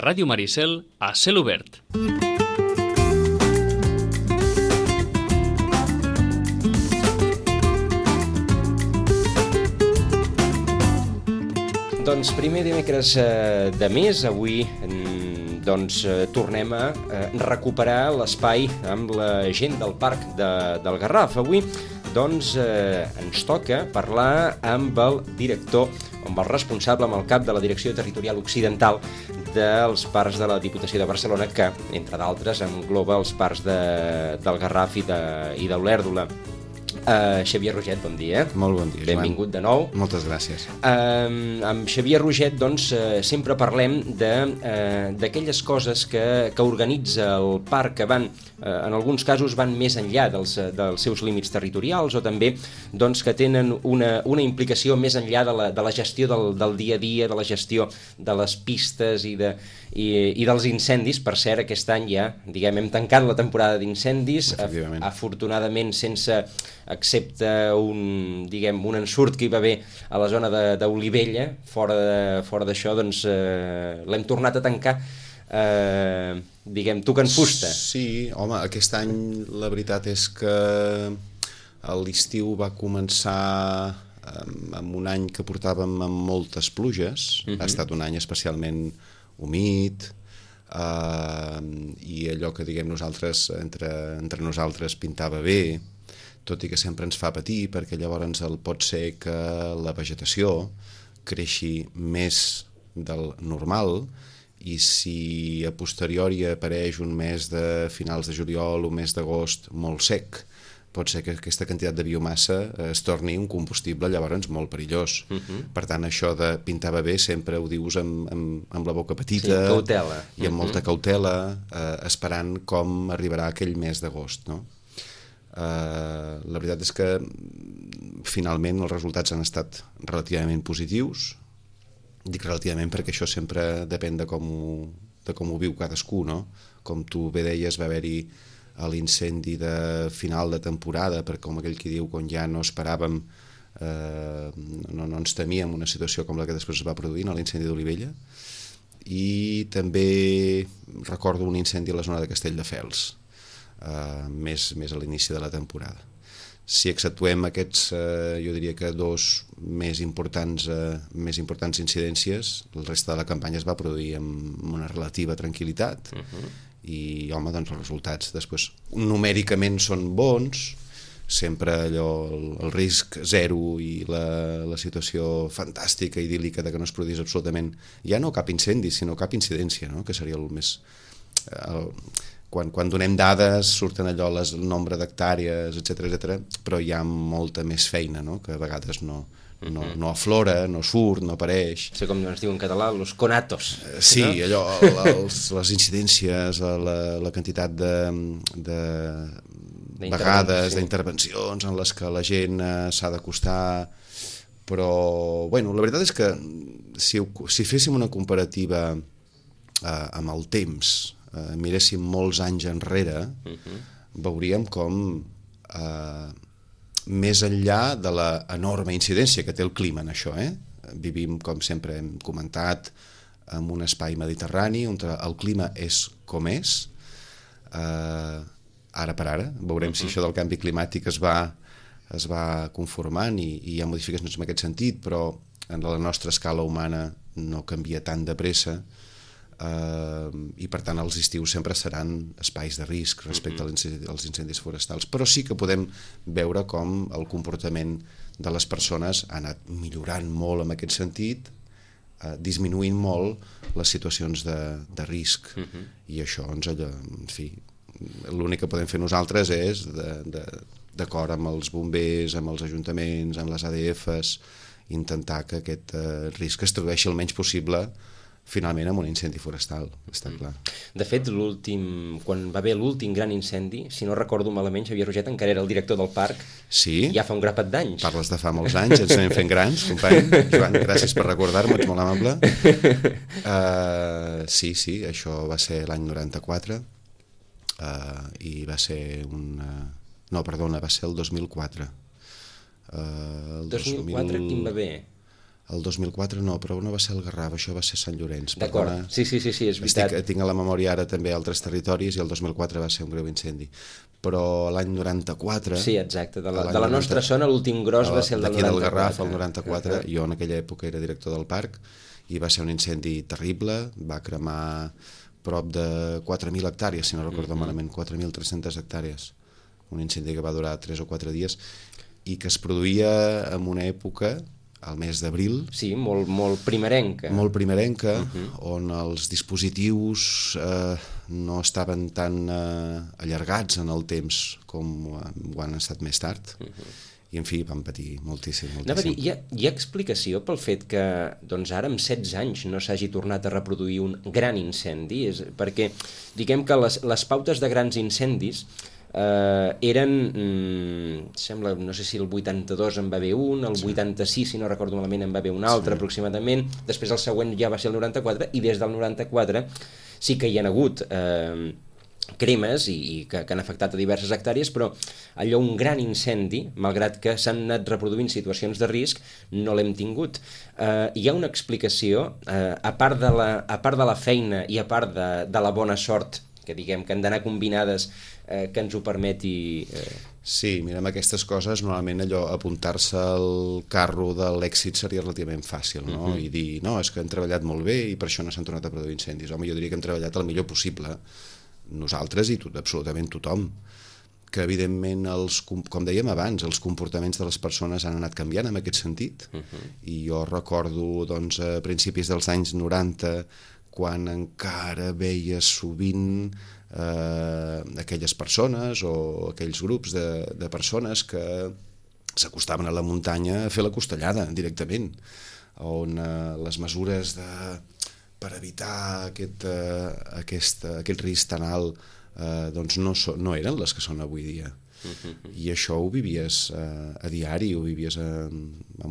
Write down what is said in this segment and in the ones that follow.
Ràdio Maricel, a cel obert. Doncs primer dimecres de mes, avui tornem a recuperar l'espai amb la gent del Parc del Garraf. Avui ens toca parlar amb el director, amb el responsable, amb el cap de la Direcció Territorial Occidental dels Parcs de la Diputació de Barcelona, que, entre d'altres, engloba els parcs del Garraf i d'Olèrdola. Xavier Roget, bon dia. Molt bon dia, Joan. Benvingut de nou. Moltes gràcies. Amb Xavier Roget, sempre parlem d'aquelles coses que organitza el parc, que van, en alguns casos, van més enllà dels seus límits territorials, o també que tenen una implicació més enllà de la gestió del dia a dia, de la gestió de les pistes i dels incendis. Per cert, aquest any ja, hem tancat la temporada d'incendis, afortunadament sense, excepte un ensurt que hi va haver a la zona d'Olivella. Fora d'això, l'hem tornat a tancar, tocant fusta. Sí, home, aquest any la veritat és que l'estiu va començar amb un any que portàvem amb moltes pluges. Ha estat un any especialment humit, i allò que nosaltres, entre nosaltres, pintava bé, tot i que sempre ens fa patir, perquè llavors pot ser que la vegetació creixi més del normal, i si a posteriori apareix un mes de finals de juliol o mes d'agost molt sec, pot ser que aquesta quantitat de biomassa es torni un combustible llavors molt perillós. Per tant, això de pintava bé sempre ho dius amb la boca petita, cautela, i amb molta cautela, esperant com arribarà aquell mes d'agost, no? La veritat és que finalment els resultats han estat relativament positius. Dic relativament perquè això sempre depèn de com ho viu cadascú, no? Com tu bé deies, va haver-hi l'incendi de final de temporada, perquè com aquell qui diu, quan ja no esperàvem, no ens temíem una situació com la que després es va produir, l'incendi d'Olivella, i també recordo un incendi a la zona de Castelldefels, més a l'inici de la temporada. Si exceptuem aquests, jo diria que dos més importants incidències, el reste de la campanya es va produir amb una relativa tranquil·litat, i home, els resultats després numèricament són bons, sempre allò, el risc zero i la situació fantàstica, idíl·lica, de que no es produís absolutament, ja no cap incendi, sinó cap incidència, no? Que seria el més... Quan donem dades surten allò el nombre d'hectàrees, etcètera, però hi ha molta més feina, no? Que a vegades no aflora, no surt, no apareix. Sí, com es diu en català, los conatos. Sí, allò, les incidències, la quantitat de vegades, d'intervencions en les que la gent s'ha d'acostar, però, bueno, la veritat és que si féssim una comparativa amb el temps, miréssim molts anys enrere, veuríem com més enllà de l'enorme incidència que té el clima en això, vivim, com sempre hem comentat, en un espai mediterrani on el clima és com és, ara per ara, veurem si això del canvi climàtic es va conformant i hi ha modificacions en aquest sentit, però en la nostra escala humana no canvia tan de pressa, i per tant els estius sempre seran espais de risc respecte als incendis forestals, però sí que podem veure com el comportament de les persones ha anat millorant molt en aquest sentit, disminuint molt les situacions de risc, i això en fi, l'únic que podem fer nosaltres és, d'acord amb els bombers, amb els ajuntaments, amb les ADFs, intentar que aquest risc es tradueixi el menys possible finalment amb un incendi forestal, està clar. De fet, quan va haver l'últim gran incendi, si no recordo malament, Xavier Roget encara era el director del parc, ja fa un grapat d'anys. Parles de fa molts anys, ens anem fent grans, company. Joan, gràcies per recordar-m'ho, ets molt amable. Sí, això va ser l'any 94, i va ser va ser el 2004. El 2004 quin va haver? El 2004 no, però no va ser el Garraf, això va ser Sant Llorenç. D'acord, sí, és veritat. Tinc a la memòria ara també altres territoris i el 2004 va ser un greu incendi. Però l'any 94... Sí, exacte, de la nostra zona l'últim gros va ser el del 94. D'aquí del Garraf, el 94, jo en aquella època era director del parc i va ser un incendi terrible, va cremar prop de 4.000 hectàrees, si no recordo malament, 4.300 hectàrees. Un incendi que va durar 3 o 4 dies i que es produïa en una època, al mes d'abril... Sí, molt primerenca. Molt primerenca, on els dispositius no estaven tan allargats en el temps com ho han estat més tard. I, en fi, van patir moltíssim. Anava a dir, hi ha explicació pel fet que doncs ara, amb 16 anys, no s'hagi tornat a reproduir un gran incendi? Perquè, diguem que les pautes de grans incendis eren, sembla, no sé si el 82 en va haver un, el 86, si no recordo malament, en va haver un altre aproximadament, després el següent ja va ser el 94, i des del 94 sí que hi ha hagut cremes i que han afectat a diverses hectàrees, però allò, un gran incendi, malgrat que s'han anat reproduint situacions de risc, no l'hem tingut. Hi ha una explicació, a part de la feina i a part de la bona sort, que diguem que han d'anar combinades, que ens ho permeti... Sí, mira, amb aquestes coses normalment allò, apuntar-se al carro de l'èxit seria relativament fàcil, no? I dir, no, és que han treballat molt bé i per això no s'han tornat a produir incendis. Home, jo diria que hem treballat el millor possible, nosaltres i absolutament tothom, que evidentment, com dèiem abans, els comportaments de les persones han anat canviant en aquest sentit, i jo recordo, doncs, a principis dels anys 90, quan encara veia sovint aquelles persones o aquells grups de persones que s'acostaven a la muntanya a fer la costellada directament, on les mesures per evitar aquest risc tan alt doncs no eren les que són avui dia. I això ho vivies a diari, ho vivies amb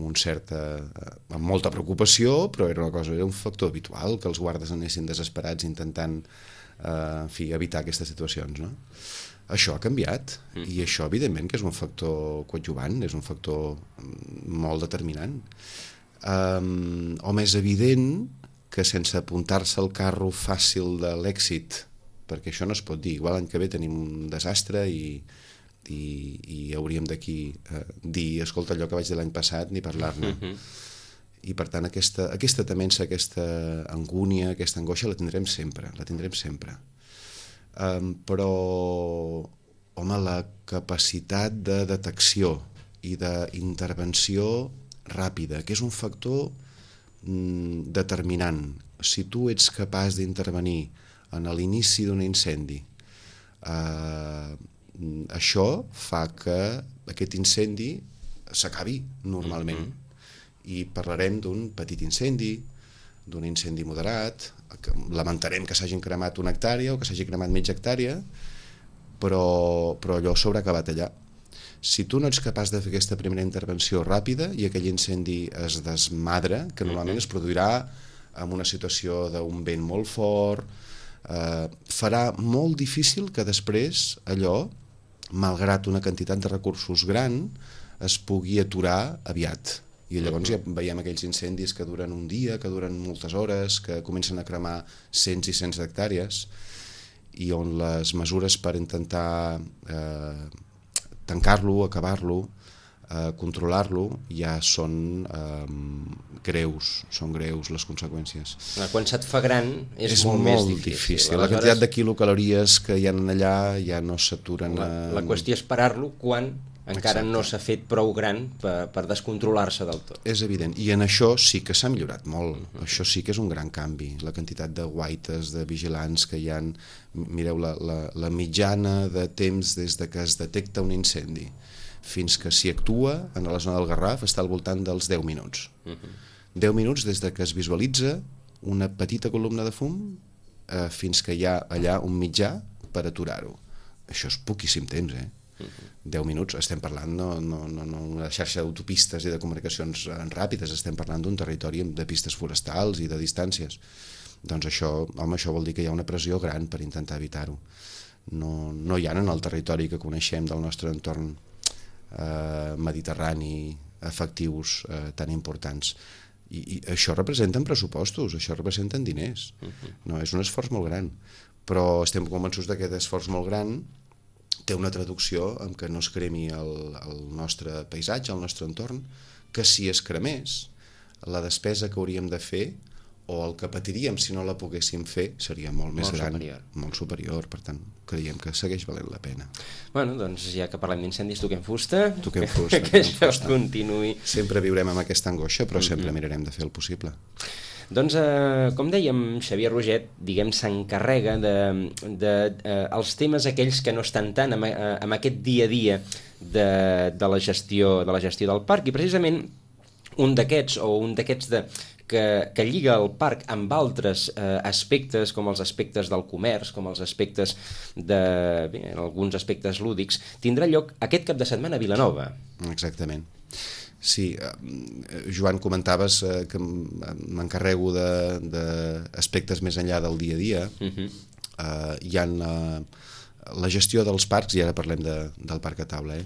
molta preocupació, però era un factor habitual que els guardes anessin desesperats intentant evitar aquestes situacions, no? Això ha canviat i això evidentment que és un factor coadjuvant, és un factor molt determinant. Home, és evident que sense apuntar-se al carro fàcil de l'èxit, perquè això no es pot dir, igual l'any que ve tenim un desastre i hauríem d'aquí dir, escolta, allò que vaig dir l'any passat, ni parlar-ne. I per tant aquesta temença, aquesta angúnia, aquesta angoixa la tindrem sempre, però home, la capacitat de detecció i d'intervenció ràpida, que és un factor determinant. Si tu ets capaç d'intervenir en l'inici d'un incendi, això fa que aquest incendi s'acabi normalment. I parlarem d'un petit incendi, d'un incendi moderat, lamentarem que s'hagin cremat una hectàrea o que s'hagi cremat mitja hectàrea, però allò s'haurà acabat allà. Si tu no ets capaç de fer aquesta primera intervenció ràpida i aquell incendi es desmadra, que normalment es produirà en una situació d'un vent molt fort, farà molt difícil que després allò, malgrat una quantitat de recursos gran, es pugui aturar aviat. I llavors ja veiem aquells incendis que duren un dia, que duren moltes hores, que comencen a cremar cents i cents d'hectàrees, i on les mesures per intentar tancar-lo, acabar-lo, controlar-lo, ja són greus les conseqüències. Quan se't fa gran és molt més difícil. La quantitat de quilocalories que hi ha allà ja no s'aturen. La qüestió és parar-lo quan encara no s'ha fet prou gran per descontrolar-se del tot. És evident, i en això sí que s'ha millorat molt. Això sí que és un gran canvi, la quantitat de guaites, de vigilants que hi ha. Mireu, la mitjana de temps des de que es detecta un incendi fins que s'hi actua en la zona del Garraf està al voltant dels 10 minuts. 10 minuts des de que es visualitza una petita columna de fum fins que hi ha allà un mitjà per aturar-ho. Això és poquíssim temps, 10 minuts, estem parlant no una xarxa d'autopistes i de comunicacions ràpides, estem parlant d'un territori de pistes forestals i de distàncies. Doncs això vol dir que hi ha una pressió gran per intentar evitar-ho. No hi ha en el territori que coneixem del nostre entorn mediterrani efectius tan importants. I això representen pressupostos, això representen diners. No, és un esforç molt gran, però estem convençuts que aquest esforç molt gran té una traducció en què no es cremi el nostre paisatge, el nostre entorn, que si es cremés, la despesa que hauríem de fer o el que patiríem si no la poguéssim fer seria molt més gran, molt superior, per tant creiem que segueix valent la pena. Bueno, doncs ja que parlem d'incendis, toquem fusta, toquem fusta, que això continuï. Sempre viurem amb aquesta angoixa, però sempre mirarem de fer el possible. Doncs, com dèiem, Xavier Roget, diguem, s'encarrega els temes aquells que no estan tant amb aquest dia a dia de la gestió del parc, i precisament un d'aquests que lliga el parc amb altres aspectes, com els aspectes del comerç, com els aspectes alguns aspectes lúdics, tindrà lloc aquest cap de setmana a Vilanova. Exactament. Sí, Joan, comentaves que m'encarrego d'aspectes més enllà del dia a dia. Hi ha la gestió dels parcs, i ara parlem del parc a taula,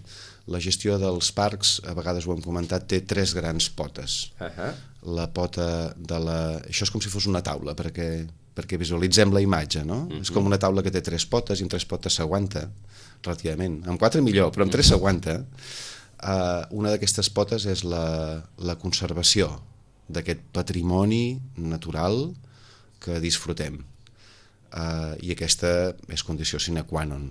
la gestió dels parcs, a vegades ho hem comentat, té 3 grans potes. La pota de això és com si fos una taula, perquè visualitzem la imatge, no? És com una taula que té 3 potes, i amb 3 potes s'aguanta, relativament. Amb 4 millor, però amb 3 s'aguanta. Una d'aquestes potes és la conservació d'aquest patrimoni natural que disfrutem. I aquesta és condició sine qua non.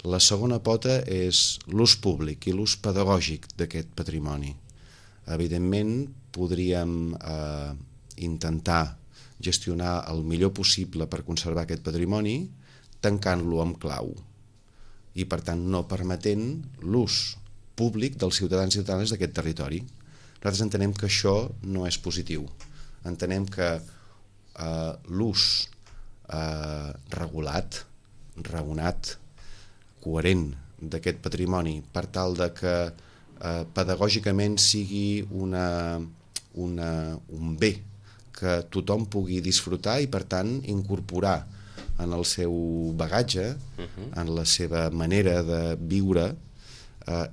La segona pota és l'ús públic i l'ús pedagògic d'aquest patrimoni. Evidentment, podríem intentar gestionar el millor possible per conservar aquest patrimoni tancant-lo amb clau i, per tant, no permetent l'ús públic dels ciutadans i ciutadanes d'aquest territori. Nosaltres entenem que això no és positiu. Entenem que l'ús regulat, raonat, coherent d'aquest patrimoni per tal de que pedagògicament sigui un bé que tothom pugui disfrutar i, per tant, incorporar en el seu bagatge, en la seva manera de viure,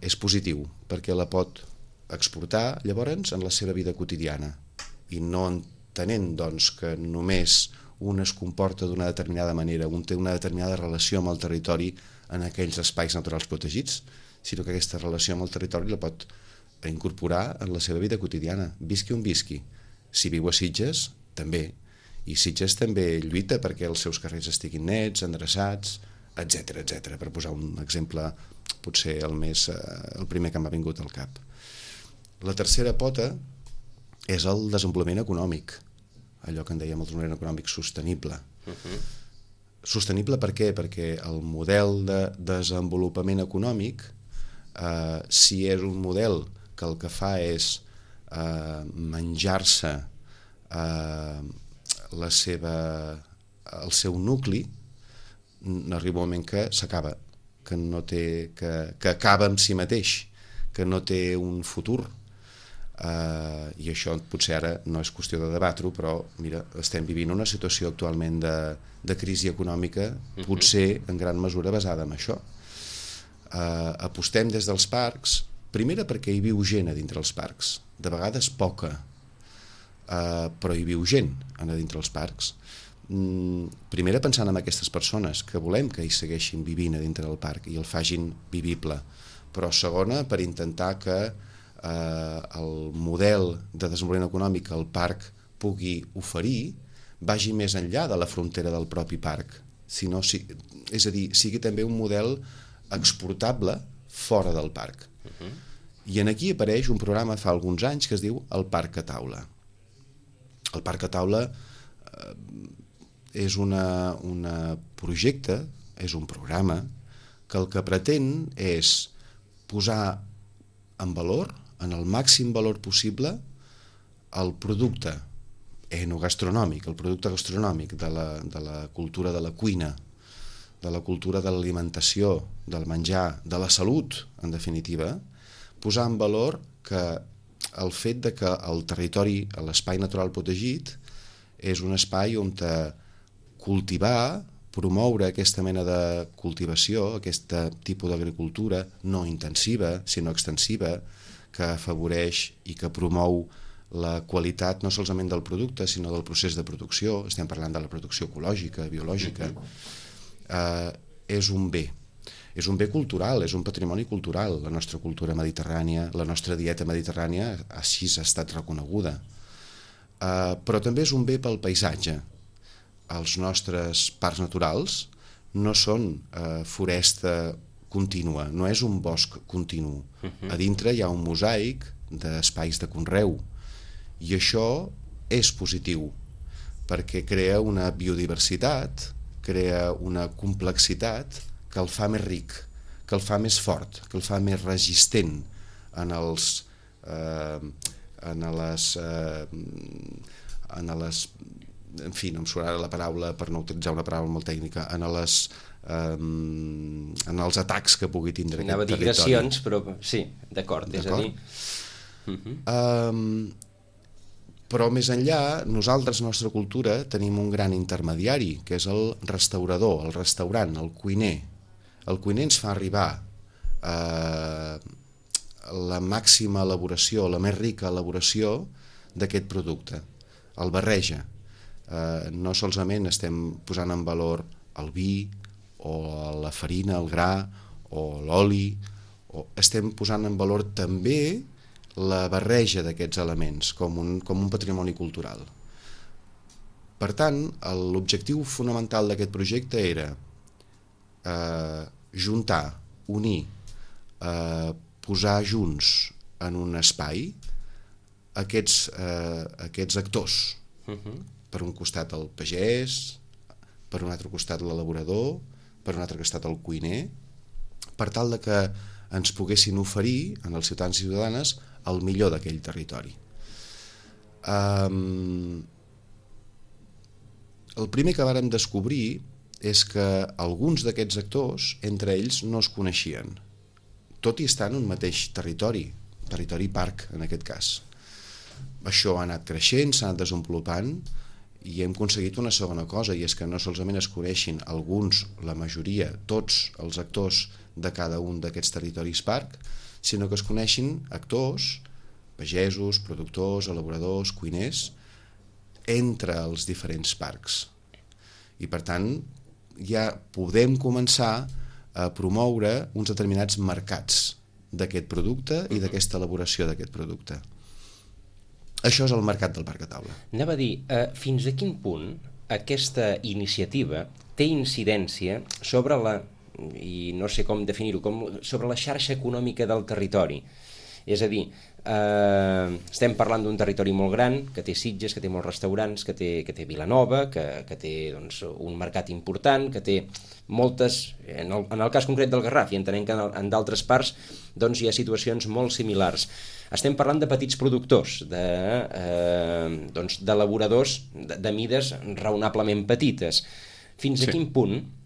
és positiu, perquè la pot exportar, llavors, en la seva vida quotidiana, i no entenent, doncs, que només un es comporta d'una determinada manera, un té una determinada relació amb el territori en aquells espais naturals protegits, sinó que aquesta relació amb el territori la pot incorporar en la seva vida quotidiana, visqui on visqui. Si viu a Sitges, també. I Sitges també lluita perquè els seus carrers estiguin nets, endreçats, etc., per posar un exemple, potser el primer que m'ha vingut al cap. La tercera pota és el desenvolupament econòmic, allò que en dèiem el desenvolupament econòmic sostenible. Sostenible per què? Perquè el model de desenvolupament econòmic, si és un model que el que fa és menjar-se el seu nucli, arriba un moment que s'acaba, que acaba amb si mateix, que no té un futur. I això potser ara no és qüestió de debatre-ho, però mira, estem vivint una situació actualment de crisi econòmica, potser en gran mesura basada en això. Apostem des dels parcs, primera perquè hi viu gent a dintre els parcs, de vegades poca, però hi viu gent a dintre els parcs. Primera pensant en aquestes persones que volem que hi segueixin vivint a dintre del parc i el facin vivible, però segona per intentar que el model de desenvolupament econòmic que el parc pugui oferir vagi més enllà de la frontera del propi parc, és a dir, sigui també un model exportable fora del parc. I aquí apareix un programa fa alguns anys que es diu el Parc a Taula. El Parc a Taula és un projecte, és un programa que el que pretén és posar en valor, en el màxim valor possible, el producte enogastronòmic, el producte gastronòmic de la cultura de la cuina, de la cultura de l'alimentació, del menjar, de la salut, en definitiva, posar en valor que el fet de que el territori, l'espai natural protegit, és un espai on cultivar, promoure aquesta mena de cultivació, aquest tipus d'agricultura no intensiva, sinó extensiva, que afavoreix i que promou la qualitat no solament del producte, sinó del procés de producció, estem parlant de la producció ecològica, biològica, és un bé. És un bé cultural, és un patrimoni cultural. La nostra cultura mediterrània, la nostra dieta mediterrània, així ha estat reconeguda. Però també és un bé pel paisatge. Els nostres parcs naturals no són foresta contínua, no és un bosc continu. A dintre hi ha un mosaic d'espais de conreu, i això és positiu, perquè crea una biodiversitat, crea una complexitat que el fa més ric, que el fa més fort, que el fa més resistent en fi, no em surt ara la paraula per no utilitzar una paraula molt tècnica, en els atacs que pugui tindre aquest territori. Agressions, però sí, d'acord. És a dir... Però més enllà, nosaltres, la nostra cultura, tenim un gran intermediari, que és el restaurador, el restaurant, el cuiner. El cuiner ens fa arribar la màxima elaboració, la més rica elaboració d'aquest producte. El barreja. No solament estem posant en valor el vi, o la farina, el gra, o l'oli, estem posant en valor també la barreja d'aquests elements com un patrimoni cultural. Per tant, l'objectiu fonamental d'aquest projecte era juntar, unir, posar junts en un espai aquests actors. Per un costat el pagès, per un altre costat l'elaborador, per un altre costat el cuiner, per tal de que ens poguessin oferir en els ciutadans i ciutadanes el millor d'aquell territori. El primer que vàrem descobrir és que alguns d'aquests actors, entre ells, no es coneixien, tot i estar en un mateix territori parc, en aquest cas. Això ha anat creixent, s'ha anat desenvolupant, i hem aconseguit una segona cosa, i és que no solament es coneixin alguns, la majoria, tots els actors de cada un d'aquests territoris parc, sinó que es coneixin actors, pagesos, productors, elaboradors, cuiners, entre els diferents parcs. I per tant, ja podem començar a promoure uns determinats mercats d'aquest producte i d'aquesta elaboració d'aquest producte. Això és el mercat del parc a taula. Anava a dir, fins a quin punt aquesta iniciativa té incidència sobre i no sé com definir-ho, sobre la xarxa econòmica del territori? És a dir, estem parlant d'un territori molt gran, que té Sitges, que té molts restaurants, que té Vilanova, que té doncs, un mercat important, que té moltes... En el cas concret del Garraf, i entenem que en d'altres parts doncs, hi ha situacions molt similars. Estem parlant de petits productors, d'elaboradors de mides raonablement petites. Fins a quin punt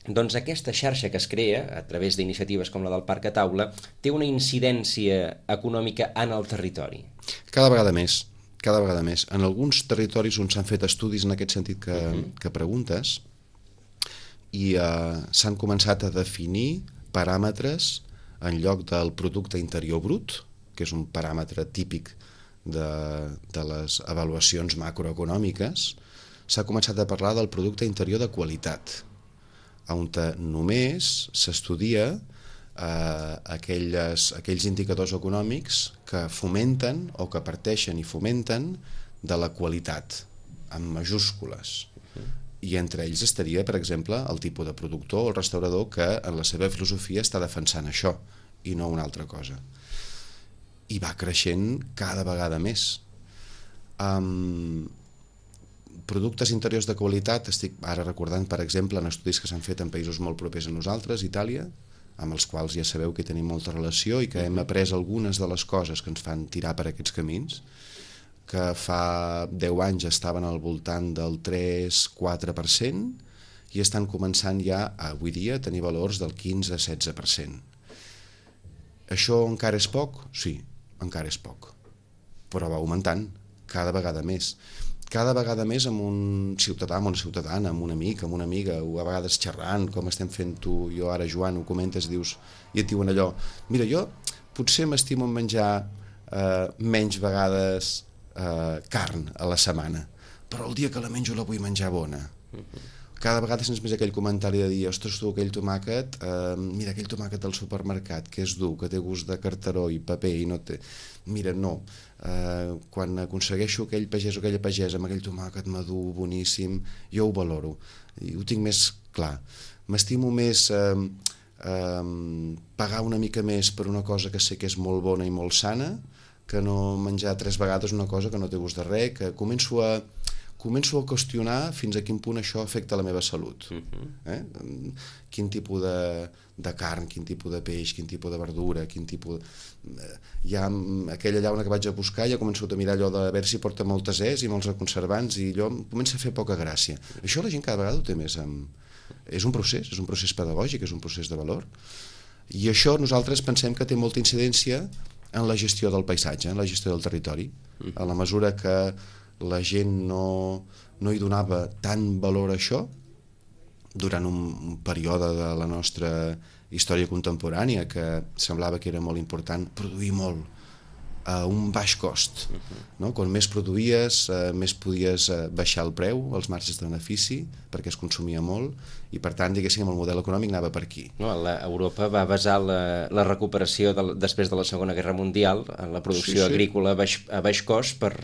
doncs aquesta xarxa que es crea a través d'iniciatives com la del Parc a Taula té una incidència econòmica en el territori? Cada vegada més. En alguns territoris on s'han fet estudis en aquest sentit que preguntes, i s'han començat a definir paràmetres en lloc del producte interior brut, que és un paràmetre típic de les avaluacions macroeconòmiques, s'ha començat a parlar del producte interior de qualitat, on només s'estudia aquells indicadors econòmics que fomenten o que parteixen i fomenten de la qualitat, amb majúscules. I entre ells estaria, per exemple, el tipus de productor o el restaurador que en la seva filosofia està defensant això i no una altra cosa. I va creixent cada vegada més. Productes interiors de qualitat, estic ara recordant, per exemple, en estudis que s'han fet en països molt propers a nosaltres, Itàlia, amb els quals ja sabeu que tenim molta relació i que hem après algunes de les coses que ens fan tirar per aquests camins, que fa 10 anys estaven al voltant del 3-4% i estan començant ja, avui dia, a tenir valors del 15-16%. Això encara és poc? Sí, encara és poc, però va augmentant cada vegada més amb un ciutadà, amb una ciutadana, amb un amic, amb una amiga, o a vegades xerrant, com estem fent tu i jo ara, Joan, ho comentes, dius, i et diuen allò, mira, jo potser m'estimo en menjar menys vegades carn a la setmana, però el dia que la menjo la vull menjar bona. Cada vegada sents més aquell comentari de dir, ostres, tu, aquell tomàquet, mira, aquell tomàquet del supermercat, que és dur, que té gust de carteró i paper i no té... Mira, no, quan aconsegueixo aquell pagès o aquella pagesa amb aquell tomàquet madur, boníssim, jo ho valoro, i ho tinc més clar. M'estimo més pagar una mica més per una cosa que sé que és molt bona i molt sana, que no menjar 3 vegades una cosa que no té gust de res, que començo a qüestionar fins a quin punt això afecta la meva salut. Quin tipus de carn, quin tipus de peix, quin tipus de verdura, quin tipus... Ja aquella llauna que vaig a buscar ja començo a mirar allò de veure si porta moltes és i molts conservants i allò comença a fer poca gràcia. Això la gent cada vegada ho té més És un procés pedagògic, és un procés de valor. I això nosaltres pensem que té molta incidència en la gestió del paisatge, en la gestió del territori. A la mesura que la gent no hi donava tant valor a això durant un període de la nostra història contemporània que semblava que era molt important produir molt a un baix cost, no? Quan més produïes, més podies baixar el preu, els marges de benefici, perquè es consumia molt, i per tant, diguéssim, el model econòmic anava per aquí. No, Europa va basar la recuperació després de la Segona Guerra Mundial en la producció agrícola a baix cost per...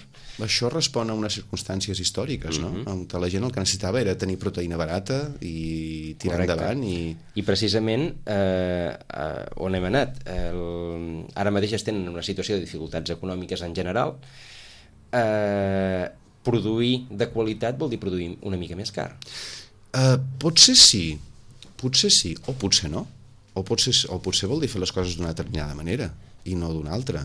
Això respon a unes circumstàncies històriques, no? On la gent el que necessitava era tenir proteïna barata i tirar endavant. I precisament on hem anat? Ara mateix estem en una situació de dificultats econòmiques en general. Produir de qualitat vol dir produir una mica més car. Potser sí, o potser no. O potser vol dir fer les coses d'una determinada manera i no d'una altra.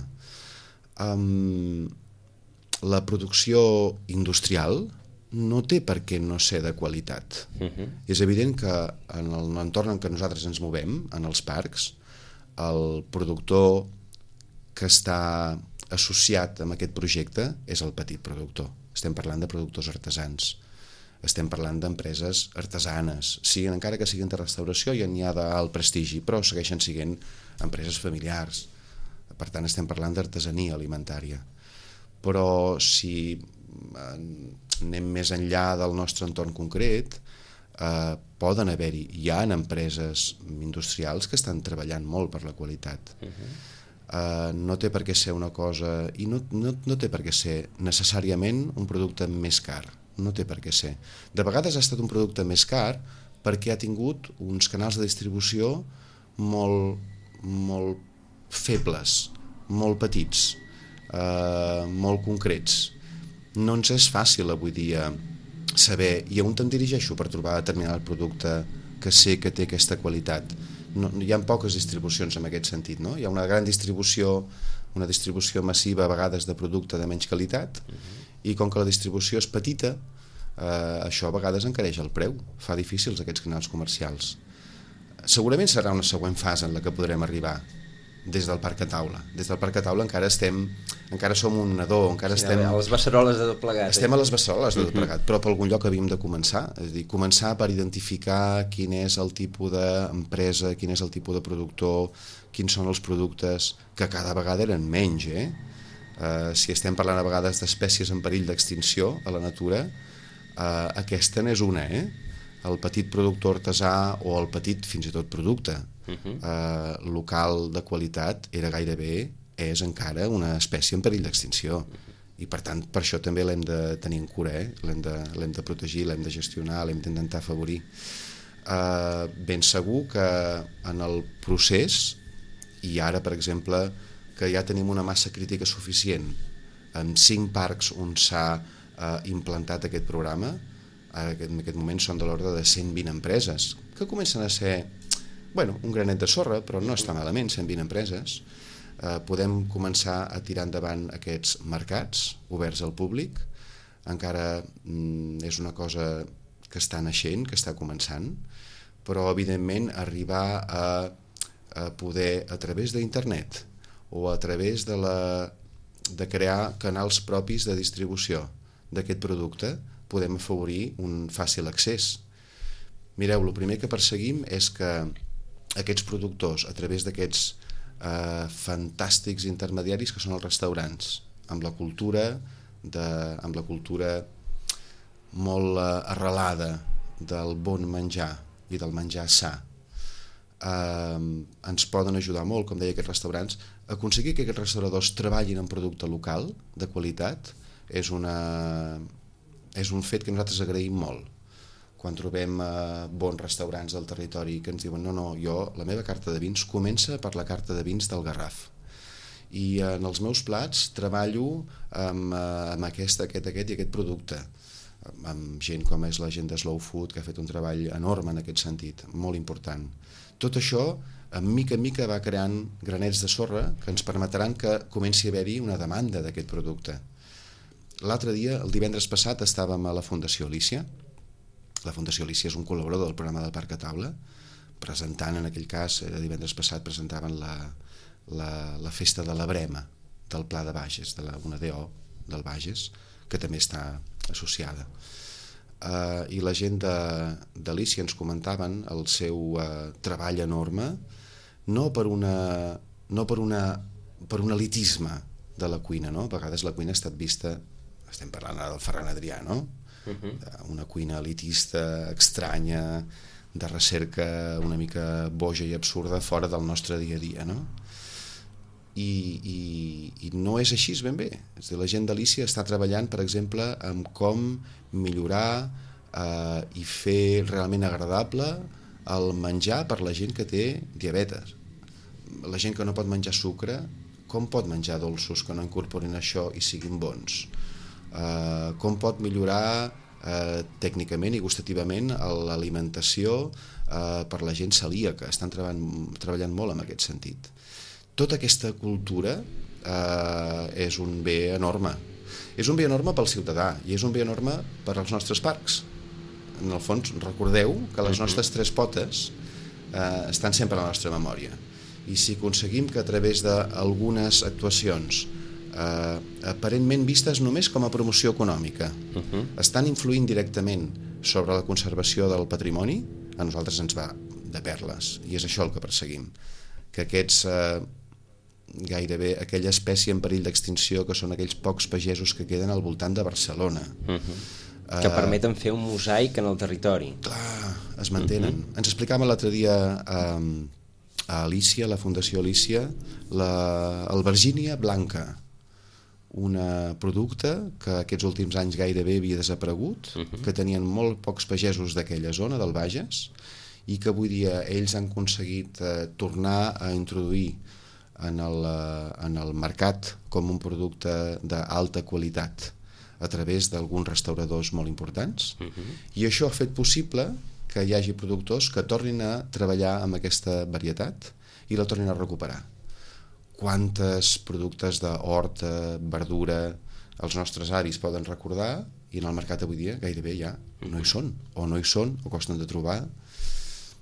La producció industrial no té per què no ser de qualitat. És evident que en l'entorn en què nosaltres ens movem, en els parcs, el productor que està associat amb aquest projecte és el petit productor. Estem parlant de productors artesans. Estem parlant d'empreses artesanes, encara que siguin de restauració i n'hi ha d'alt prestigi, però segueixen sent empreses familiars. Per tant, estem parlant d'artesania alimentària. Però si anem més enllà del nostre entorn concret, poden haver-hi, hi ha empreses industrials que estan treballant molt per la qualitat. No té per què ser una cosa, i no té per què ser necessàriament un producte més car, no té per què ser. De vegades ha estat un producte més car perquè ha tingut uns canals de distribució molt febles, molt petits, molt concrets. No ens és fàcil avui dia saber i on te'n dirigeixo per trobar determinat producte que sé que té aquesta qualitat. Hi ha poques distribucions en aquest sentit, no? Hi ha una gran distribució, una distribució massiva a vegades de producte de menys qualitat, i com que la distribució és petita, això a vegades encareix el preu, fa difícils aquests canals comercials. Segurament serà una següent fase en la que podrem arribar des del parc a taula. Des del parc a taula encara som un nadó, encara estem... A les beceroles de tot plegat. Estem a les beceroles de tot plegat, però per algun lloc havíem de començar. És a dir, començar per identificar quin és el tipus d'empresa, quin és el tipus de productor, quins són els productes, que cada vegada eren menys, si estem parlant a vegades d'espècies en perill d'extinció a la natura, aquesta n'és una, el petit productor artesà o el petit fins i tot producte local de qualitat és encara una espècie en perill d'extinció, i per tant per això també l'hem de tenir en cura, l'hem de protegir, l'hem de gestionar, l'hem d'intentar afavorir. Ben segur que en el procés, i ara per exemple que ja tenim una massa crítica suficient amb 5 parcs on s'ha implantat aquest programa, en aquest moment són de l'ordre de 120 empreses que comencen a ser un granet de sorra, però no està malament, 120 empreses. Podem començar a tirar endavant aquests mercats oberts al públic. Encara és una cosa que està naixent, que està començant, però evidentment arribar a poder, a través d'internet o a través de crear canals propis de distribució d'aquest producte, podem afavorir un fàcil accés. Mireu, el primer que perseguim és que aquests productors, a través d'aquests fantàstics intermediaris que són els restaurants, amb la cultura amb la cultura molt arrelada del bon menjar i del menjar sa, ens poden ajudar molt, com deia, aquests restaurants. Aconseguir que aquests restauradors treballin en producte local de qualitat és un fet que nosaltres agraïm molt. Quan trobem bons restaurants del territori que ens diuen no, la meva carta de vins comença per la carta de vins del Garraf, i en els meus plats treballo amb aquest i aquest producte, amb gent com és la gent de Slow Food, que ha fet un treball enorme en aquest sentit, molt important. Tot això, en mica va creant granets de sorra que ens permetran que comenci a haver-hi una demanda d'aquest producte. L'altre dia, el divendres passat, estàvem a la Fundació Alícia. La Fundació Alícia és un col·laborador del programa del Parc a Taula, presentant, en aquell cas, divendres passat, presentaven la festa de la Brema del Pla de Bages, una DO del Bages, que també està associada. I la gent d'Alícia ens comentaven el seu treball enorme, no per un elitisme de la cuina, no? A vegades la cuina ha estat vista, estem parlant ara del Ferran Adrià, no? Una cuina elitista, estranya, de recerca una mica boja i absurda fora del nostre dia a dia, no? I no és així ben bé. És a dir, la gent d'Alícia està treballant, per exemple, en com millorar i fer realment agradable el menjar per la gent que té diabetes. La gent que no pot menjar sucre, com pot menjar dolços que no incorporin això i siguin bons? Com pot millorar tècnicament i gustativament l'alimentació per la gent celíaca. Estan treballant molt en aquest sentit. Tota aquesta cultura és un bé enorme. És un bé enorme pel ciutadà i és un bé enorme per als nostres parcs. En el fons, recordeu que les nostres tres potes estan sempre a la nostra memòria. I si aconseguim que a través d'algunes actuacions aparentment vistes només com a promoció econòmica estan influint directament sobre la conservació del patrimoni, a nosaltres ens va de perles, i és això el que perseguim, que aquests gairebé aquella espècie en perill d'extinció que són aquells pocs pagesos que queden al voltant de Barcelona que permeten fer un mosaic en el territori. Clar, es mantenen. Ens explicaven l'altre dia a Alícia, a la Fundació Alícia, l'albergínia blanca, un producte que aquests últims anys gairebé havia desaparegut, que tenien molt pocs pagesos d'aquella zona del Bages i que avui dia ells han aconseguit tornar a introduir en el mercat com un producte d'alta qualitat a través d'alguns restauradors molt importants, i això ha fet possible que hi hagi productors que tornin a treballar amb aquesta varietat i la tornin a recuperar. Quantes productes d'hort, verdura, els nostres avis poden recordar i en el mercat avui dia gairebé ja no hi són, o costen de trobar,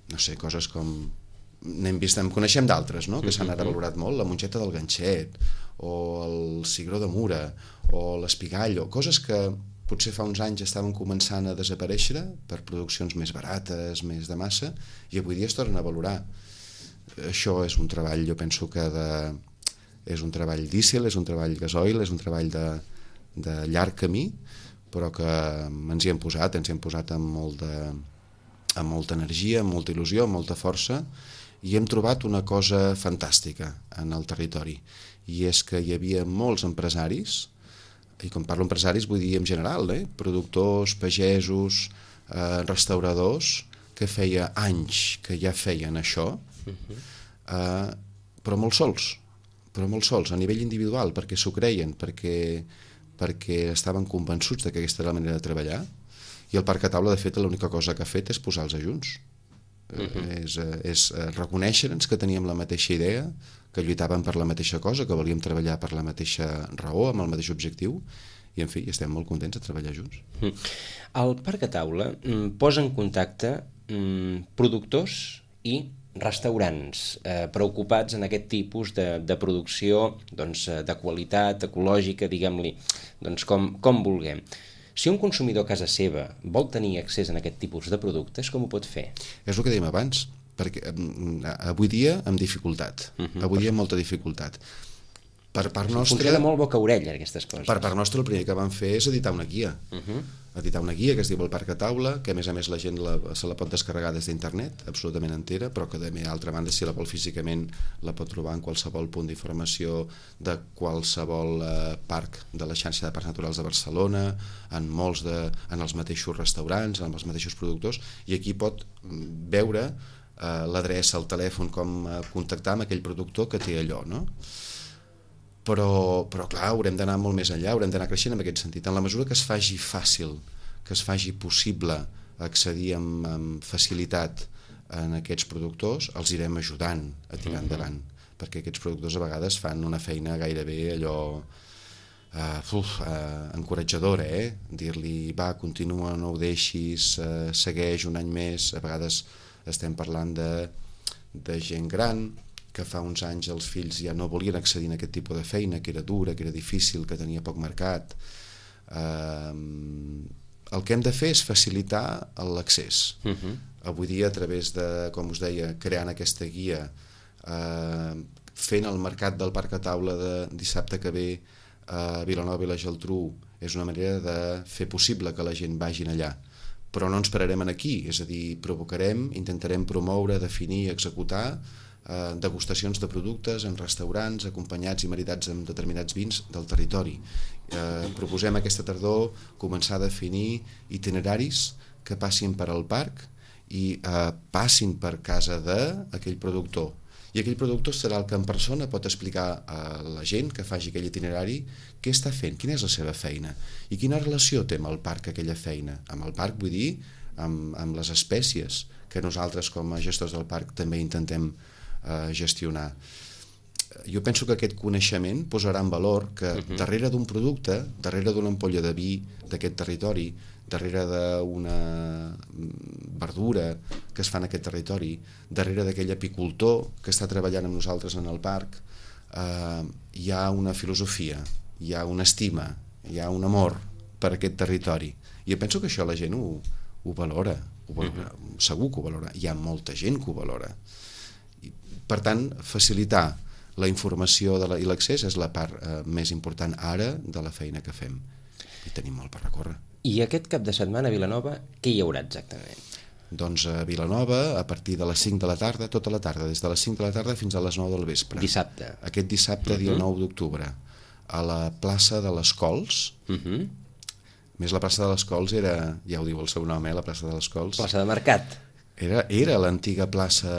no sé, coses com... En coneixem d'altres, no? Que s'han ara valorat molt, la mongeta del ganxet, o el cigró de Mura, o l'espigall, o coses que potser fa uns anys estaven començant a desaparèixer per produccions més barates, més de massa, i avui dia es tornen a valorar. Això és un treball, jo penso que és un treball dísel, és un treball gasoil, és un treball de llarg camí, però que ens hi hem posat amb molta energia, amb molta il·lusió, amb molta força, i hem trobat una cosa fantàstica en el territori, i és que hi havia molts empresaris, i quan parlo empresaris vull dir en general, productors, pagesos, restauradors, que feia anys que ja feien això, però molt sols, a nivell individual, perquè s'ho creien, perquè estaven convençuts que aquesta era la manera de treballar, i el Parc a Taula, de fet, l'única cosa que ha fet és posar-los junts. És reconèixer-nos que teníem la mateixa idea, que lluitàvem per la mateixa cosa, que volíem treballar per la mateixa raó, amb el mateix objectiu, i en fi, estem molt contents de treballar junts. El Parc a Taula posa en contacte productors i restaurants preocupats en aquest tipus de producció de qualitat, ecològica, diguem-li, com vulguem. Si un consumidor a casa seva vol tenir accés a aquest tipus de productes, com ho pot fer? És el que dèiem abans, perquè avui dia amb dificultat, avui dia amb molta dificultat. Per part Funciona nostra, de molt boca a orella, aquestes coses. per part nostra, el primer que vam fer és editar una guia. Editar una guia que es diu El Parc a Taula, que a més la gent se la pot descarregar des d'internet, absolutament entera, però que d'altra banda, si la vol físicament, la pot trobar en qualsevol punt d'informació de qualsevol parc de la xarxa de parcs naturals de Barcelona, en els mateixos restaurants, en els mateixos productors, i aquí pot veure l'adreça, el telèfon, com contactar amb aquell productor que té allò, no? Però clar, haurem d'anar molt més enllà, haurem d'anar creixent en aquest sentit. En la mesura que es faci fàcil, que es faci possible accedir amb facilitat en aquests productors, els irem ajudant a tirar endavant, perquè aquests productors a vegades fan una feina gairebé allò encoratjadora, dir-li, va, continua, no ho deixis, segueix un any més. A vegades estem parlant de gent gran que fa uns anys els fills ja no volien accedir a aquest tipus de feina, que era dura, que era difícil, que tenia poc mercat. El que hem de fer és facilitar l'accés. Avui dia, a través de, com us deia, creant aquesta guia, fent el mercat del Parc a Taula de dissabte que ve a Vilanova i la Geltrú, és una manera de fer possible que la gent vagin allà. Però no ens pararem aquí, és a dir, intentarem promoure, definir, executar degustacions de productes en restaurants acompanyats i maridats amb determinats vins del territori. Proposem aquesta tardor començar a definir itineraris que passin per al parc i passin per casa d'aquell productor. I aquell productor serà el que en persona pot explicar a la gent que faci aquell itinerari què està fent, quina és la seva feina i quina relació té amb el parc aquella feina. Amb el parc vull dir amb les espècies que nosaltres com a gestors del parc també intentem gestionar. Jo penso que aquest coneixement posarà en valor que darrere d'un producte, darrere d'una ampolla de vi d'aquest territori, darrere d'una verdura que es fa en aquest territori, darrere d'aquell apicultor que està treballant amb nosaltres en el parc, hi ha una filosofia, hi ha una estima, hi ha un amor per aquest territori. I jo penso que això la gent ho valora, segur que ho valora. Hi ha molta gent que ho valora. Per tant, facilitar la informació i l'accés és la part més important ara de la feina que fem. I tenim molt per recórrer. I aquest cap de setmana a Vilanova, què hi haurà exactament? Doncs a Vilanova, a partir de les 5 de la tarda, tota la tarda, des de les 5 de la tarda fins a les 9 del vespre. Dissabte. Aquest dissabte, dia 9 d'octubre, a la plaça de les Cols. Més la plaça de les Cols era, ja ho diu el seu nom, la plaça de les Cols. Plaça de Mercat. Era l'antiga plaça,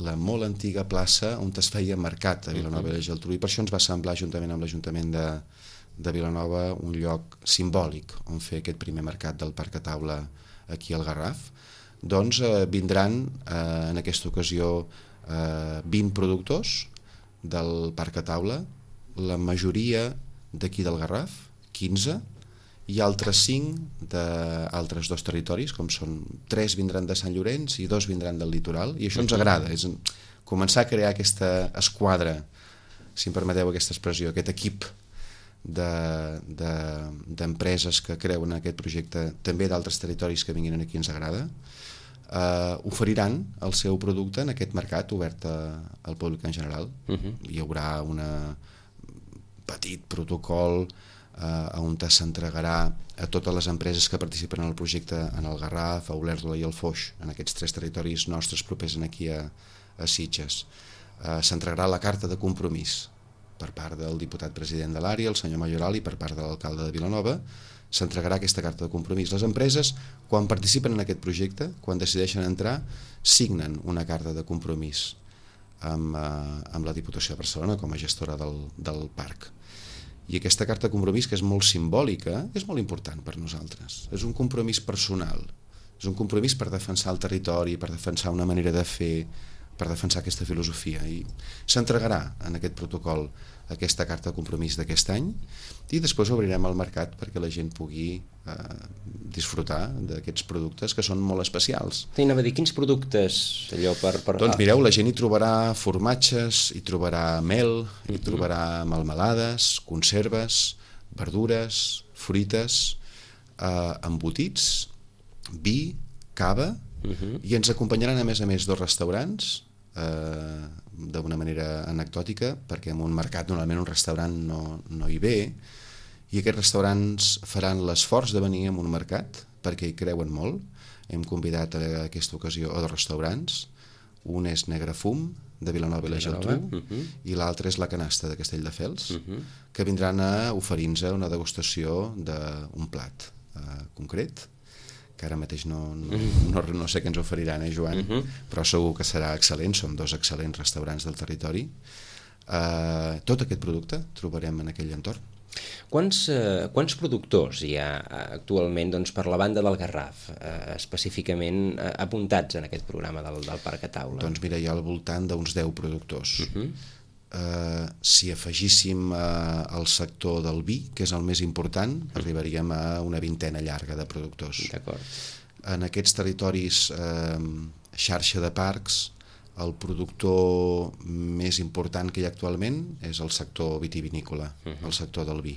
la molt antiga plaça on es feia mercat a Vilanova i la Geltrú, i per això ens va semblar, juntament amb l'Ajuntament de Vilanova, un lloc simbòlic on fer aquest primer mercat del Parc a Taula aquí al Garraf. Doncs vindran en aquesta ocasió 20 productors del Parc a Taula, la majoria d'aquí del Garraf, 15, i altres 5 d'altres 2 territoris, com són 3 vindran de Sant Llorenç i 2 vindran del litoral, i això ens agrada, és començar a crear aquesta esquadra, si em permeteu aquesta expressió, aquest equip d'empreses que creuen en aquest projecte, també d'altres territoris que vinguin aquí ens agrada. Oferiran el seu producte en aquest mercat obert al públic en general. Hi haurà un petit protocol on s'entregarà a totes les empreses que participen en el projecte en el Garraf, a Olèrdola i el Foix, en aquests 3 territoris nostres propers aquí a Sitges. S'entregarà la carta de compromís per part del diputat president de l'àrea, el senyor Mayoral, i per part de l'alcalde de Vilanova. S'entregarà aquesta carta de compromís. Les empreses, quan participen en aquest projecte, quan decideixen entrar, signen una carta de compromís amb la Diputació de Barcelona com a gestora del parc. I aquesta carta de compromís, que és molt simbòlica, és molt important per nosaltres. És un compromís personal, és un compromís per defensar el territori, per defensar una manera de fer, per defensar aquesta filosofia. I s'entregarà en aquest protocol aquesta carta de compromís d'aquest any, i després obrirem el mercat perquè la gent pugui disfrutar d'aquests productes que són molt especials. T'anava a dir, quins productes allò per... Doncs mireu, la gent hi trobarà formatges, hi trobarà mel, hi trobarà melmelades, conserves, verdures, fruites, embotits, vi, cava, i ens acompanyaran a més 2 restaurants d'una manera anecdòtica, perquè en un mercat normalment un restaurant no hi ve, i aquests restaurants faran l'esforç de venir a un mercat perquè hi creuen molt. Hem convidat a aquesta ocasió a 2 restaurants, un és Negrefum, de Vilanova i la Geltrú, i l'altre és La Canasta, de Castelldefels, que vindran a oferir-nos una degustació d'un plat concret, que ara mateix no sé què ens oferiran, Joan? Però segur que serà excel·lent, són 2 excel·lents restaurants del territori. Tot aquest producte trobarem en aquell entorn. Quants productors hi ha actualment per la banda del Garraf, específicament apuntats en aquest programa del Parc a Taula? Doncs mira, hi ha al voltant d'uns 10 productors. Si afegíssim el sector del vi, que és el més important, arribaríem a una 20ena llarga de productors. D'acord. En aquests territoris, xarxa de parcs, el productor més important que hi ha actualment és el sector vitivinícola, el sector del vi.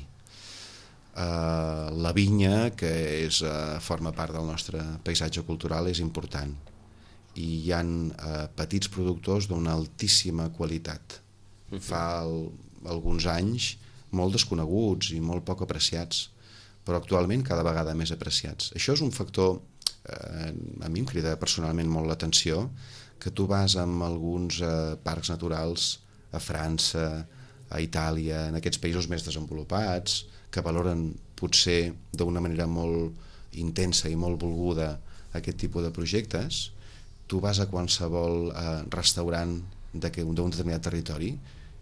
La vinya, que forma part del nostre paisatge cultural, és important. I hi ha petits productors d'una altíssima qualitat. Fa alguns anys molt desconeguts i molt poc apreciats, però actualment cada vegada més apreciats. Això és un factor, a mi em crida personalment molt l'atenció, que tu vas amb alguns parcs naturals a França, a Itàlia, en aquests països més desenvolupats, que valoren potser d'una manera molt intensa i molt volguda aquest tipus de projectes. Tu vas a qualsevol restaurant d'un determinat territori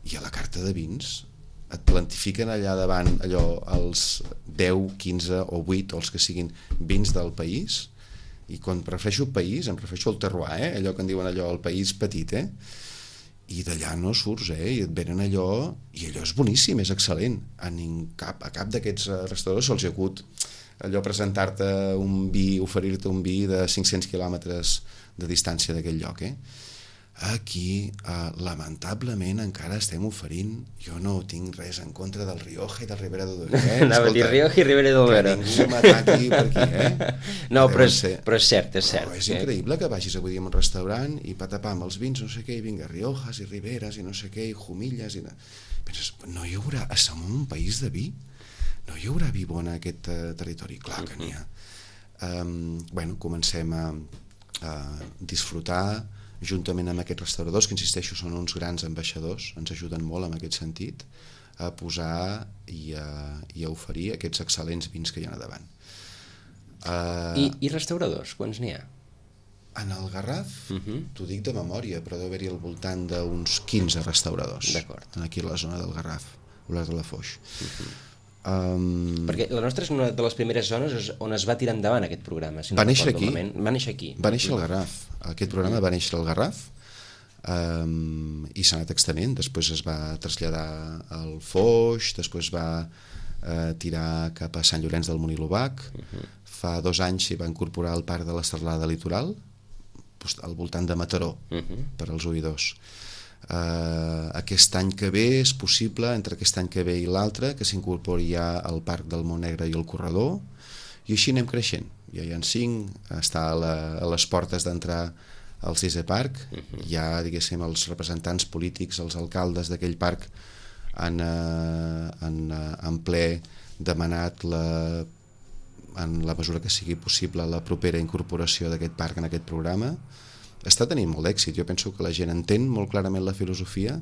i a la carta de vins et plantifiquen allà davant els 10, 15 o 8 o els que siguin vins del país. I quan prefereixo país, em refereixo al terroir, allò que en diuen el país petit, i d'allà no surts, i et venen allò, i allò és boníssim, és excel·lent. A cap d'aquests restauradors se'ls ha hagut allò presentar-te un vi, oferir-te un vi de 500 quilòmetres de distància d'aquell lloc, Aquí, lamentablement, encara estem oferint... Jo no tinc res en contra del Rioja i del Ribera d'Ondara. Anava a dir Rioja i Ribera d'Ondara. Que ningú m'ataqui per aquí, No, però és cert, és cert. Però és increïble que vagis avui a un restaurant i patapà amb els vins, no sé què, i vinga, Riojas i Riberes i no sé què, i Jumilles... Penses, no hi haurà... Som un país de vi? No hi haurà vi bon en aquest territori? Clar que n'hi ha. Comencem a disfrutar juntament amb aquests restauradors, que insisteixo són uns grans ambaixadors, ens ajuden molt en aquest sentit, a posar i a oferir aquests excel·lents vins que hi ha a davant. I restauradors, quants n'hi ha? En el Garraf, t'ho dic de memòria, però deu haver-hi al voltant d'uns 15 restauradors. D'acord. Aquí a la zona del Garraf, Olesa de la Foix. Perquè la nostra és una de les primeres zones on es va tirar endavant aquest programa. Va néixer aquí. Va néixer aquí. Va néixer al Garraf. Aquest programa va néixer al Garraf i s'ha anat extenent. Després es va traslladar al Foix, després va tirar cap a Sant Llorenç del Munt-i-l'Obac. Fa 2 anys s'hi va incorporar al Parc de la Serralada Litoral, al voltant de Mataró, per als oïdors. Aquest any que ve és possible, entre aquest any que ve i l'altre, que s'incorpori ja al Parc del Montnegre i el Corredor, i així anem creixent. Ja hi ha 5, està a les portes d'entrar al 6è parc, ja, diguéssim, els representants polítics, els alcaldes d'aquell parc han en ple demanat en la mesura que sigui possible la propera incorporació d'aquest parc en aquest programa. Està tenint molt d'èxit. Jo penso que la gent entén molt clarament la filosofia,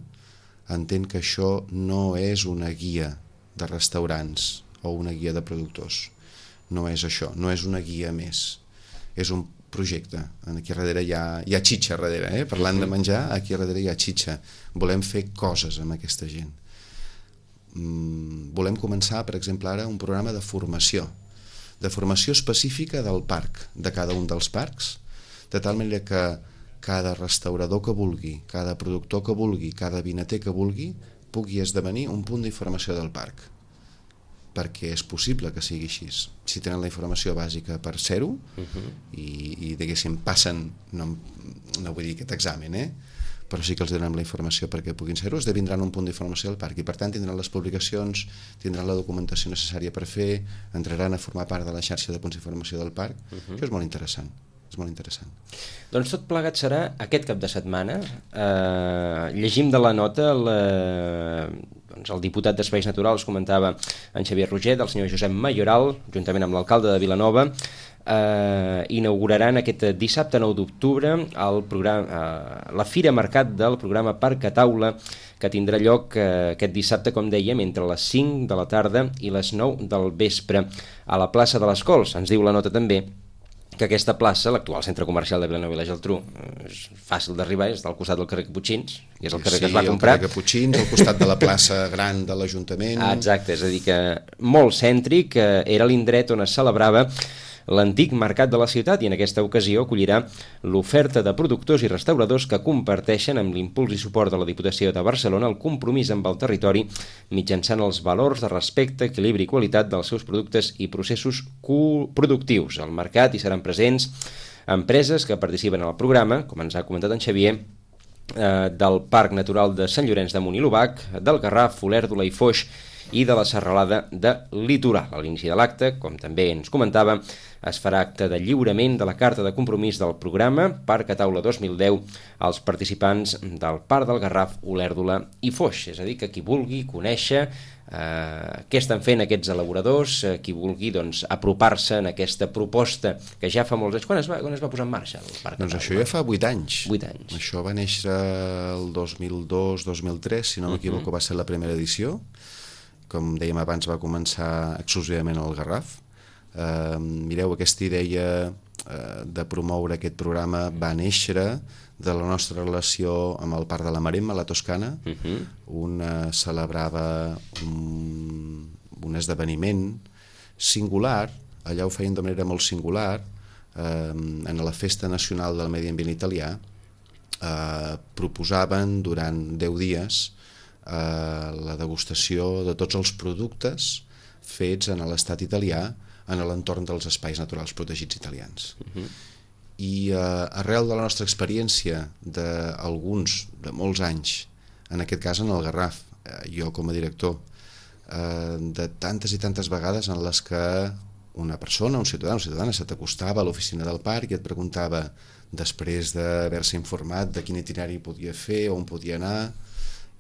entén que això no és una guia de restaurants o una guia de productors. No és això, no és una guia més. És un projecte. Aquí darrere hi ha xitxa darrere, parlant de menjar, aquí darrere hi ha xitxa. Volem fer coses amb aquesta gent. Volem començar, per exemple, ara un programa de formació específica del parc, de cada un dels parcs, de tal manera que cada restaurador que vulgui, cada productor que vulgui, cada vinater que vulgui, pugui esdevenir un punt d'informació del parc. Perquè és possible que sigui així. Si tenen la informació bàsica per ser-ho i diguéssim, passen, no vull dir aquest examen, però sí que els donem la informació perquè puguin ser-ho, esdevindran un punt d'informació del parc i per tant tindran les publicacions, tindran la documentació necessària per fer, entraran a formar part de la xarxa de punts d'informació del parc. Això és molt interessant. És molt interessant. Doncs tot plegat serà aquest cap de setmana. Llegim de la nota doncs el diputat d'Espais Naturals comentava en Xavier Roget, el senyor Josep Mayoral, juntament amb l'alcalde de Vilanova, inauguraran aquest dissabte 9 d'octubre la Fira Mercat del programa Parc a Taula, que tindrà lloc aquest dissabte, com dèiem, entre les 5 de la tarda i les 9 del vespre a la plaça de les Cols. Ens diu la nota també que aquesta plaça, l'actual centre comercial de Vilanova i la Geltrú, és fàcil d'arribar, és del costat del carrer Caputxins, que és el carrer que es va comprar. Sí, el carrer Caputxins, al costat de la plaça gran de l'Ajuntament. Exacte, és a dir que molt cèntric, era l'indret on es celebrava l'antic mercat de la ciutat i en aquesta ocasió acollirà l'oferta de productors i restauradors que comparteixen amb l'impuls i suport de la Diputació de Barcelona el compromís amb el territori mitjançant els valors de respecte, equilibri i qualitat dels seus productes i processos productius. Al mercat hi seran presents empreses que participen en el programa, com ens ha comentat en Xavier, del Parc Natural de Sant Llorenç de Munt i l'Obac, del Garraf, Olèrdola i Foix i de la Serralada de Litoral. A l'inici de l'acte, com també ens comentava, es farà acte de lliurament de la carta de compromís del programa Parc a Taula 2010 als participants del Parc del Garraf, Olèrdola i Foix. És a dir, que qui vulgui conèixer què estan fent aquests elaboradors, qui vulgui apropar-se en aquesta proposta que ja fa molts anys. Quan es va posar en marxa el Parc? Doncs això ja fa 8 anys. 8 anys. Això va néixer el 2002-2003, si no m'equivoco, va ser la primera edició. Com dèiem abans, va començar exclusivament al Garraf. Mireu, aquesta idea de promoure aquest programa va néixer de la nostra relació amb el Parc de la Maremma, a la Toscana, on celebrava un esdeveniment singular, allà ho feien de manera molt singular, en la Festa Nacional del Medi Ambient Italià, proposaven durant 10 dies la degustació de tots els productes fets en l'estat italià en l'entorn dels espais naturals protegits italians. I arrel de la nostra experiència d'alguns, de molts anys, en aquest cas en el Garraf, jo com a director, de tantes i tantes vegades en les que una persona, un ciutadà, una ciutadana se t'acostava a l'oficina del parc i et preguntava, després d'haver-se informat de quin itinerari podia fer, on podia anar,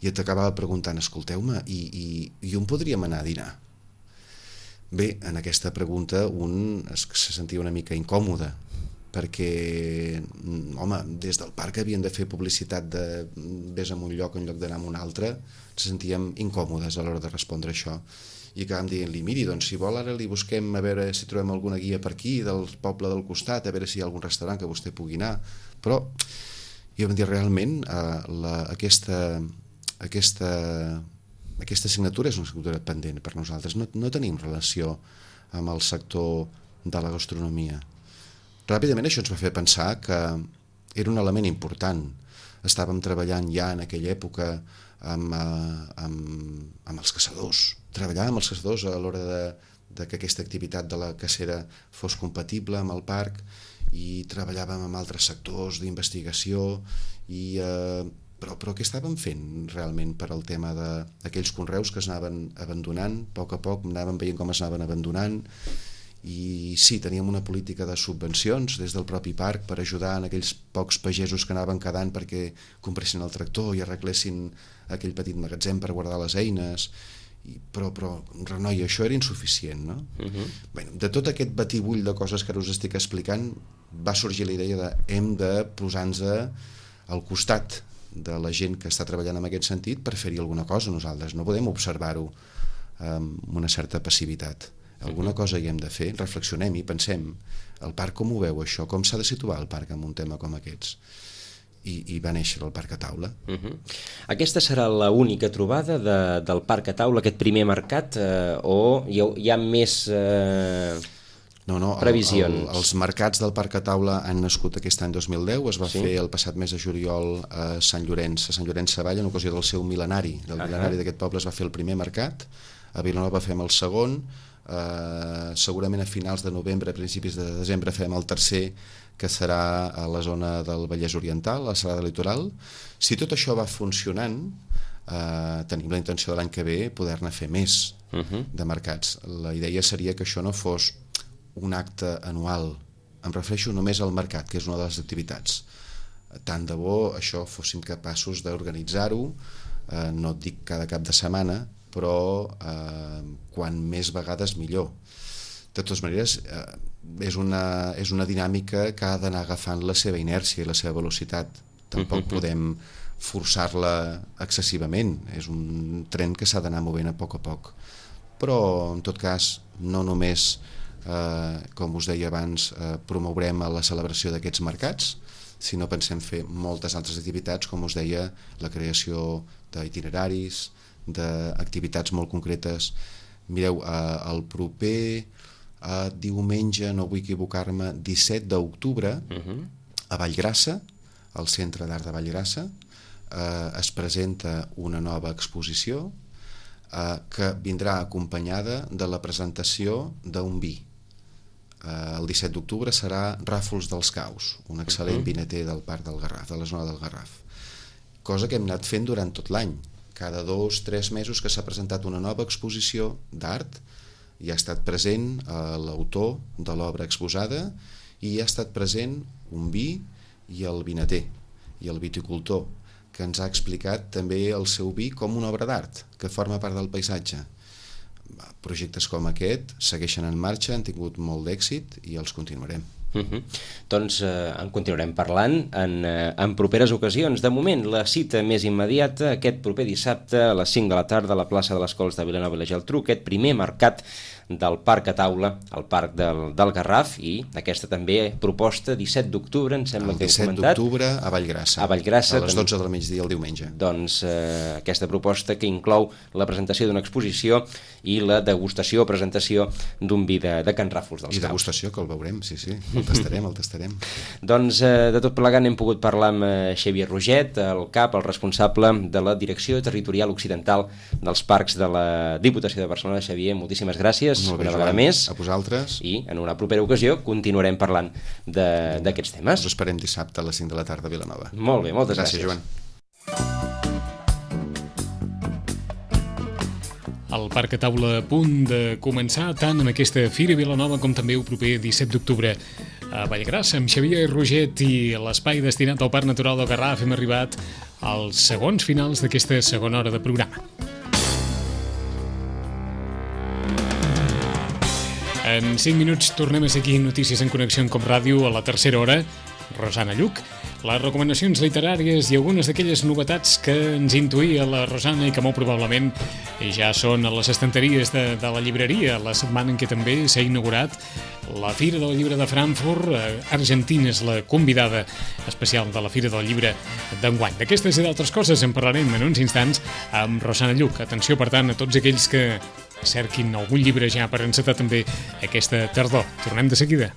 i t'acabava preguntant, escolteu-me, i on podríem anar a dinar? Bé, en aquesta pregunta un se sentia una mica incòmode, perquè, home, des del parc havien de fer publicitat de vés a un lloc en lloc d'anar a un altre, ens sentíem incòmodes a l'hora de respondre això. I acabàvem dient-li, miri, doncs si vol ara li busquem a veure si trobem alguna guia per aquí, del poble del costat, a veure si hi ha algun restaurant que vostè pugui anar. Però jo vam dir, realment, aquesta assignatura és una assignatura pendent per nosaltres. No tenim relació amb el sector de la gastronomia. Ràpidament això ens va fer pensar que era un element important. Estàvem treballant ja en aquella època amb els caçadors. Treballàvem amb els caçadors a l'hora de que aquesta activitat de la cacera fos compatible amb el parc i treballàvem amb altres sectors d'investigació però què estàvem fent realment per al tema d'aquells conreus que es anaven abandonant, a poc anàvem veient com es anaven abandonant i sí, teníem una política de subvencions des del propi parc per ajudar en aquells pocs pagesos que anaven quedant perquè compressin el tractor i arreglessin aquell petit magatzem per guardar les eines però renoi, això era insuficient, no? Bé, de tot aquest batibull de coses que ara us estic explicant va sorgir la idea de hem de posar-nos al costat de la gent que està treballant en aquest sentit per fer-hi alguna cosa nosaltres, no podem observar-ho amb una certa passivitat. Alguna cosa hi hem de fer, reflexionem i pensem el parc com ho veu això, com s'ha de situar el parc en un tema com aquests i va néixer el Parc a Taula. Aquesta serà l'única trobada del Parc a Taula, aquest primer mercat, o hi ha més previsions? Els mercats del Parc a Taula han nascut aquest any 2010, es va fer el passat mes de juliol a Sant Llorenç Savall, en ocasió del seu mil·lenari. Del mil·lenari d'aquest poble es va fer el primer mercat, a Vilanova fem el segon, segurament a finals de novembre, a principis de desembre fem el tercer, que serà a la zona del Vallès Oriental, a la Serralada Litoral. Si tot això va funcionant, tenim la intenció de l'any que ve poder-ne fer més de mercats. La idea seria que això no fos un acte anual, em refereixo només al mercat, que és una de les activitats. Tant de bo això fóssim capaços d'organitzar-ho, no et dic cada cap de setmana, però quan més vegades millor. De totes maneres, és una dinàmica que ha d'anar agafant la seva inèrcia i la seva velocitat. Tampoc podem forçar-la excessivament, és un tren que s'ha d'anar movent a poc, però en tot cas no només, com us deia abans, promourem la celebració d'aquests mercats, sinó pensem fer moltes altres activitats, com us deia, la creació d'itineraris, d'activitats molt concretes. Mireu, el proper diumenge, no vull equivocar-me, 17 d'octubre, a Vallgrassa, al Centre d'Art de Vallgrassa, es presenta una nova exposició que vindrà acompanyada de la presentació d'un vi. El 17 d'octubre serà Ràfols dels Caus, un excel·lent vinater del Parc del Garraf, de la zona del Garraf. Cosa que hem anat fent durant tot l'any. Cada 2-3 mesos que s'ha presentat una nova exposició d'art, hi ha estat present l'autor de l'obra exposada i hi ha estat present un vi i el vinater i el viticultor, que ens ha explicat també el seu vi com una obra d'art, que forma part del paisatge. Projectes com aquest segueixen en marxa, han tingut molt d'èxit i els continuarem. Doncs en continuarem parlant en properes ocasions. De moment, la cita més immediata, aquest proper dissabte a les 5 de la tarda a la plaça de les Cols de Vilanova i la Geltrú, aquest primer mercat del Parc a Taula, al Parc del Garraf, i aquesta també proposta 17 d'octubre, em sembla que heu comentat. El 17 d'octubre a Vallgrassa, a les 12 del migdia el diumenge. Doncs aquesta proposta que inclou la presentació d'una exposició i la degustació o presentació d'un vi de Can Ràfols dels Caus. I degustació, que el veurem, sí, el tastarem. Doncs de tot plegat hem pogut parlar amb Xavier Roget, el cap, el responsable de la Direcció Territorial Occidental dels Parcs de la Diputació de Barcelona. Xavier, moltíssimes gràcies una vegada més. A vosaltres. I en una propera ocasió continuarem parlant d'aquests temes. Us esperem dissabte a les 5 de la tarda a Vilanova. Molt bé, moltes gràcies. Gràcies, Joan. El Parc a Taula a punt de començar tant amb aquesta Fira Vilanova com també el proper 17 d'octubre a Vallgrassa amb Xavier Roget i l'espai destinat al Parc Natural del Garraf. Hem arribat als segons finals d'aquesta segona hora de programa. En 5 minuts tornem a seguir Notícies en Connexió en Com Ràdio a la tercera hora. Rosana Lluc, les recomanacions literàries i algunes d'aquelles novetats que ens intuïa la Rosana i que molt probablement ja són a les estanteries de la llibreria, la setmana en què també s'ha inaugurat la Fira del Llibre de Frankfurt. Argentina és la convidada especial de la Fira del Llibre d'enguany. D'aquestes i d'altres coses en parlarem en uns instants amb Rosana Lluc. Atenció, per tant, a tots aquells que cerquin algun llibre ja per encetar també aquesta tardor. Tornem de seguida.